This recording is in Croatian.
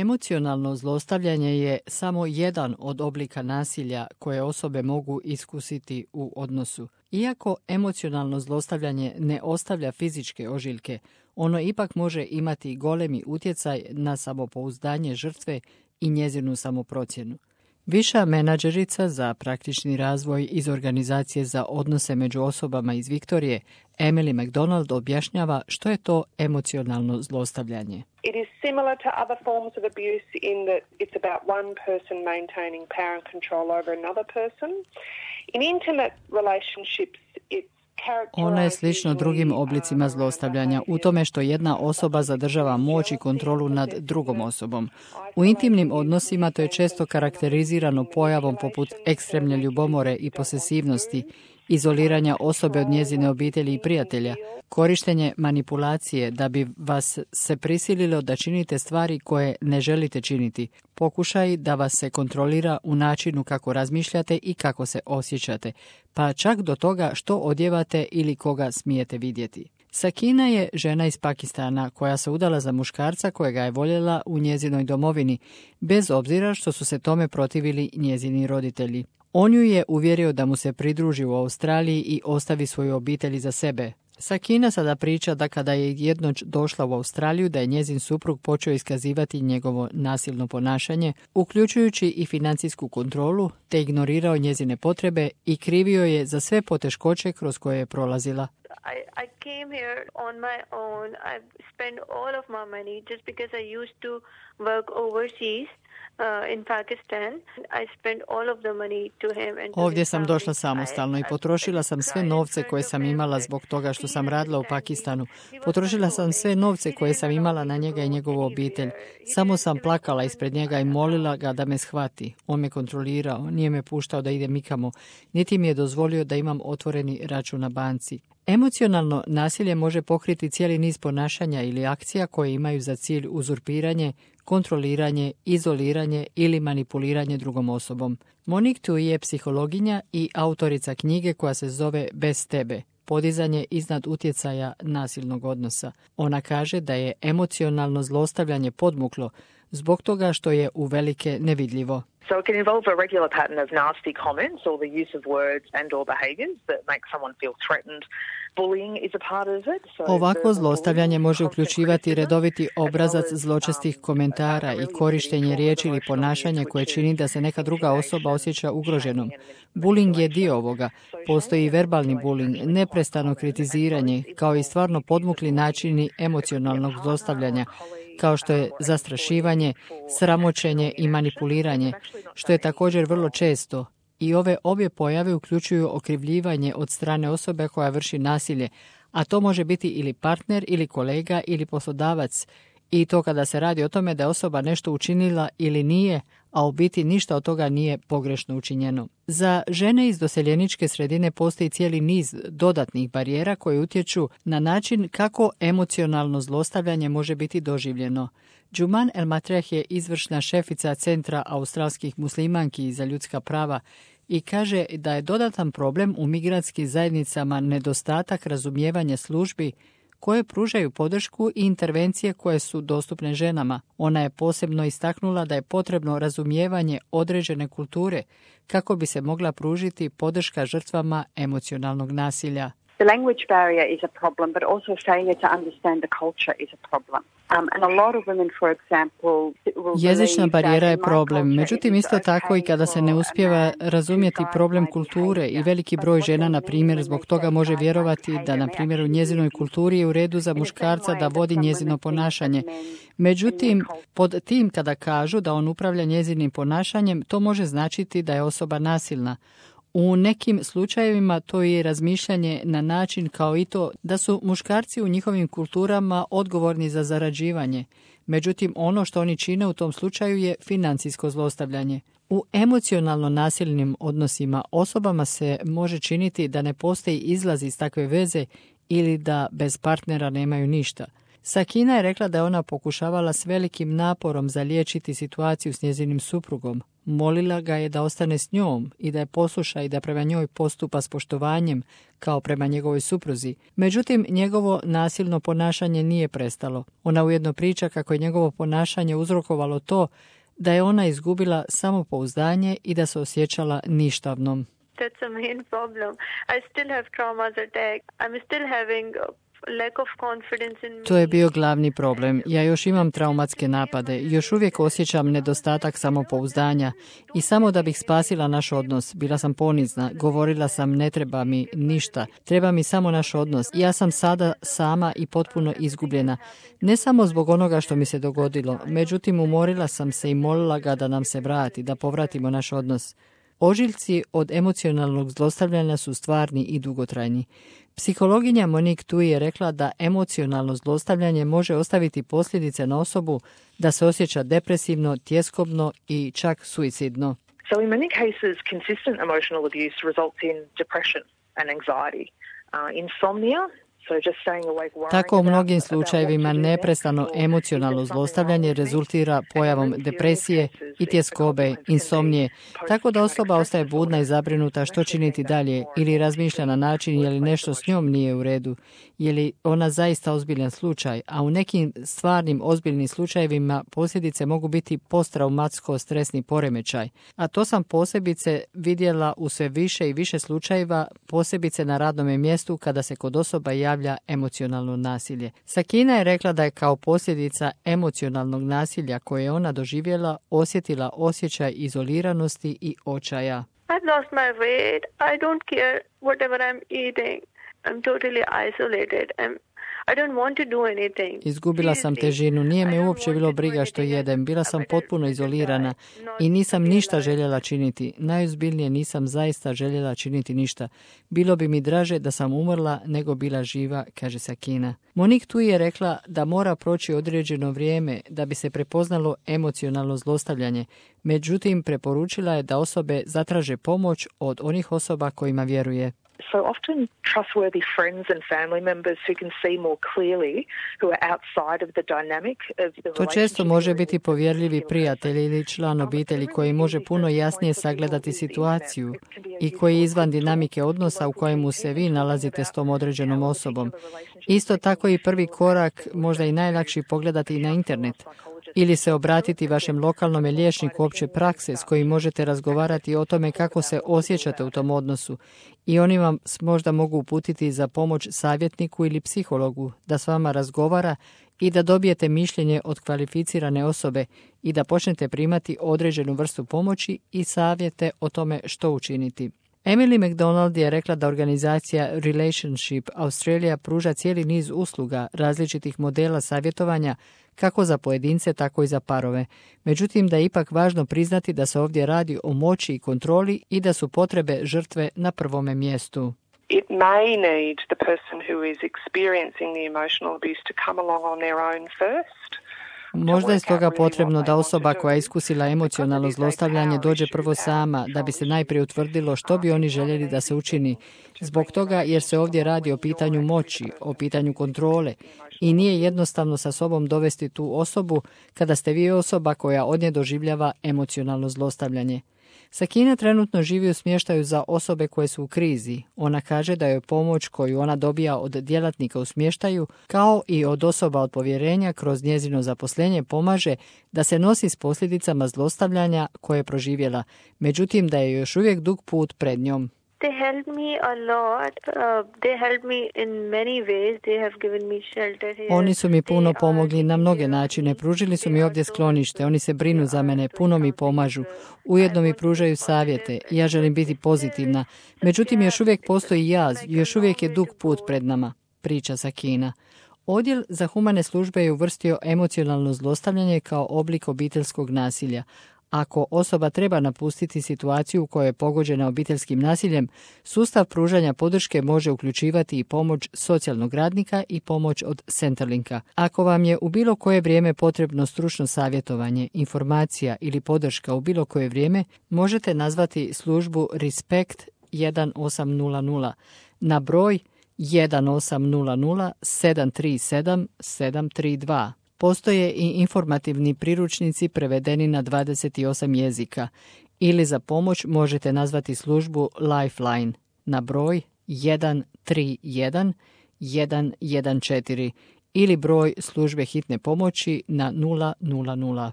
Emocionalno zlostavljanje je samo jedan od oblika nasilja koje osobe mogu iskusiti u odnosu. Iako emocionalno zlostavljanje ne ostavlja fizičke ožiljke, ono ipak može imati golemi utjecaj na samopouzdanje žrtve i njezinu samoprocjenu. Viša menadžerica za praktični razvoj iz Organizacije za odnose među osobama iz Viktorije, Emily McDonald, objašnjava što je to emocionalno zlostavljanje. It is similar to other forms of abuse in that it's about one person maintaining power and control over another person. In intimate relationships, it's Ono je slično drugim oblicima zlostavljanja u tome što jedna osoba zadržava moć i kontrolu nad drugom osobom. U intimnim odnosima to je često karakterizirano pojavom poput ekstremne ljubomore i posesivnosti, izoliranja osobe od njezine obitelji i prijatelja, korištenje manipulacije da bi vas se prisililo da činite stvari koje ne želite činiti, pokušaj da vas se kontrolira u načinu kako razmišljate i kako se osjećate, pa čak do toga što odjevate ili koga smijete vidjeti. Sakina je žena iz Pakistana koja se udala za muškarca kojega je voljela u njezinoj domovini, bez obzira što su se tome protivili njezini roditelji. On ju je uvjerio da mu se pridruži u Australiji i ostavi svoju obitelj za sebe. Sakina sada priča da kada je jednoć došla u Australiju da je njezin suprug počeo iskazivati njegovo nasilno ponašanje, uključujući i financijsku kontrolu, te ignorirao njezine potrebe i krivio je za sve poteškoće kroz koje je prolazila. I came here on my own. I spent all of my money just because I used to work overseas. In Pakistan, I spent all of the money to him and to Ovdje sam došla samostalno i potrošila sam sve novce koje sam imala zbog toga što sam radila u Pakistanu. Potrošila sam sve novce koje sam imala na njega i njegovu obitelj. Samo sam plakala ispred njega i molila ga da me shvati. On me kontrolirao, nije me puštao da idem nikamo, niti mi je dozvolio da imam otvoreni račun na banci. Emocionalno nasilje može pokriti cijeli niz ponašanja ili akcija koje imaju za cilj uzurpiranje, kontroliranje, izoliranje ili manipuliranje drugom osobom. Monique Tui je psihologinja i autorica knjige koja se zove Bez tebe, podizanje iznad utjecaja nasilnog odnosa. Ona kaže da je emocionalno zlostavljanje podmuklo zbog toga što je uvelike nevidljivo. So it can involve a regular pattern of nasty comments or the use of words and or behaviours that make someone feel threatened. Bullying is a part of it. Ovakvo zlostavljanje može uključivati redoviti obrazac zločestih komentara i korištenje riječi ili ponašanja koje čini da se neka druga osoba osjeća ugroženom. Bullying je dio ovoga. Postoji i verbalni bullying, neprestano kritiziranje, kao i stvarno podmukli načini emocionalnog zlostavljanja, kao što je zastrašivanje, sramoćenje i manipuliranje, što je također vrlo često. I ove obje pojave uključuju okrivljivanje od strane osobe koja vrši nasilje, a to može biti ili partner, ili kolega, ili poslodavac. I to kada se radi o tome da je osoba nešto učinila ili nije, a u biti ništa od toga nije pogrešno učinjeno. Za žene iz doseljeničke sredine postoji cijeli niz dodatnih barijera koje utječu na način kako emocionalno zlostavljanje može biti doživljeno. Džuman El Matreh je izvršna šefica Centra australskih muslimanki za ljudska prava i kaže da je dodatan problem u migrantskim zajednicama nedostatak razumijevanja službi koje pružaju podršku i intervencije koje su dostupne ženama. Ona je posebno istaknula da je potrebno razumijevanje određene kulture kako bi se mogla pružiti podrška žrtvama emocionalnog nasilja. The language barrier is a problem, but also failure to understand the culture is a problem. And a lot of women, for example, jezična barijera je problem, međutim isto tako i kada se ne uspijeva razumjeti problem kulture i veliki broj žena, na primjer, zbog toga može vjerovati da, na primjer, u njezinoj kulturi je u redu za muškarca da vodi njezino ponašanje. Međutim, pod tim kada kažu da on upravlja njezinim ponašanjem, to može značiti da je osoba nasilna. U nekim slučajevima to je razmišljanje na način kao i to da su muškarci u njihovim kulturama odgovorni za zarađivanje. Međutim, ono što oni čine u tom slučaju je financijsko zlostavljanje. U emocionalno nasilnim odnosima osobama se može činiti da ne postoji izlaz iz takve veze ili da bez partnera nemaju ništa. Sakina je rekla da je ona pokušavala s velikim naporom zaliječiti situaciju s njezinim suprugom. Molila ga je da ostane s njom i da je posluša i da prema njoj postupa s poštovanjem kao prema njegovoj supruzi. Međutim, njegovo nasilno ponašanje nije prestalo. Ona ujedno priča kako je njegovo ponašanje uzrokovalo to da je ona izgubila samopouzdanje i da se osjećala ništavnom. That's a main problem. I still have traumas attack. I'm still having lack of confidence in me. To je bio glavni problem. Ja još imam traumatske napade. Još uvijek osjećam nedostatak samopouzdanja. I samo da bih spasila naš odnos, bila sam ponizna. Govorila sam ne treba mi ništa. Treba mi samo naš odnos. Ja sam sada sama i potpuno izgubljena. Ne samo zbog onoga što mi se dogodilo. Međutim, umorila sam se i molila ga da nam se vrati, da povratimo naš odnos. Ožiljci od emocionalnog zlostavljanja su stvarni i dugotrajni. Psihologinja Monique Tui je rekla da emocionalno zlostavljanje može ostaviti posljedice na osobu da se osjeća depresivno, tjeskobno i čak suicidno. So in many cases, consistent emotional abuse results in depression and anxiety, insomnia. Tako u mnogim slučajevima neprestano emocionalno zlostavljanje rezultira pojavom depresije i tjeskobe, insomnije, tako da osoba ostaje budna i zabrinuta što činiti dalje ili razmišlja na način je li nešto s njom nije u redu, je li ona zaista ozbiljan slučaj, a u nekim stvarnim ozbiljnim slučajevima posljedice mogu biti posttraumatsko-stresni poremećaj. A to sam posebice vidjela u sve više i više slučajeva, posebice na radnome mjestu kada se kod osoba javlja emocionalno nasilje. Sakina je rekla da je kao posljedica emocionalnog nasilja koje je ona doživjela osjetila osjećaj izoliranosti i očaja. I've lost my weight. I don't care whatever I'm eating. I'm totally isolated. I don't want to do anything. Izgubila sam težinu, nije me uopće bilo briga što jedem, bila sam potpuno izolirana i nisam ništa željela činiti. Najozbiljnije nisam zaista željela činiti ništa. Bilo bi mi draže da sam umrla nego bila živa, kaže Sakina. Monique Tui je rekla da mora proći određeno vrijeme da bi se prepoznalo emocionalno zlostavljanje. Međutim, preporučila je da osobe zatraže pomoć od onih osoba kojima vjeruje. So often trustworthy friends and family members who can see more clearly, who are outside of the dynamic of the relationship. To često može biti povjerljivi prijatelj ili član obitelji koji može puno jasnije sagledati situaciju i koji je izvan dinamike odnosa u kojemu se vi nalazite s tom određenom osobom. Isto tako i prvi korak, možda i najlakši, pogledati na internet ili se obratiti vašem lokalnom liječniku opće prakse s kojim možete razgovarati o tome kako se osjećate u tom odnosu i oni vam možda mogu uputiti za pomoć savjetniku ili psihologu da s vama razgovara i da dobijete mišljenje od kvalificirane osobe i da počnete primati određenu vrstu pomoći i savjete o tome što učiniti. Emily McDonald je rekla da organizacija Relationship Australia pruža cijeli niz usluga različitih modela savjetovanja kako za pojedince, tako i za parove. Međutim, da je ipak važno priznati da se ovdje radi o moći i kontroli i da su potrebe žrtve na prvome mjestu. It may need the person who is experiencing the emotional abuse to come along on their own first. Možda je stoga potrebno da osoba koja je iskusila emocionalno zlostavljanje dođe prvo sama, da bi se najprije utvrdilo što bi oni željeli da se učini. Zbog toga jer se ovdje radi o pitanju moći, o pitanju kontrole i nije jednostavno sa sobom dovesti tu osobu kada ste vi osoba koja od nje doživljava emocionalno zlostavljanje. Sakina trenutno živi u smještaju za osobe koje su u krizi. Ona kaže da joj pomoć koju ona dobija od djelatnika u smještaju, kao i od osoba od povjerenja kroz njezino zaposlenje pomaže da se nosi s posljedicama zlostavljanja koje je proživjela. Međutim, da je još uvijek dug put pred njom. They helped me a lot. They helped me in many ways. They have given me shelter here. Oni su mi puno pomogli na mnoge načine. Pružili su mi ovdje sklonište. Oni se brinu za mene, puno mi pomažu. Ujedno mi pružaju savjete. Ja želim biti pozitivna. Međutim, još uvijek postoji jaz. Još uvijek je dug put pred nama, priča Sakina. Odjel za humane službe je uvrstio emocionalno zlostavljanje kao oblik obiteljskog nasilja. Ako osoba treba napustiti situaciju u kojoj je pogođena obiteljskim nasiljem, sustav pružanja podrške može uključivati i pomoć socijalnog radnika i pomoć od Centerlinka. Ako vam je u bilo koje vrijeme potrebno stručno savjetovanje, informacija ili podrška u bilo koje vrijeme, možete nazvati službu Respect 1800 na broj 1800 737 732. Postoje i informativni priručnici prevedeni na 28 jezika ili za pomoć možete nazvati službu Lifeline na broj 131 114 ili broj službe hitne pomoći na 000.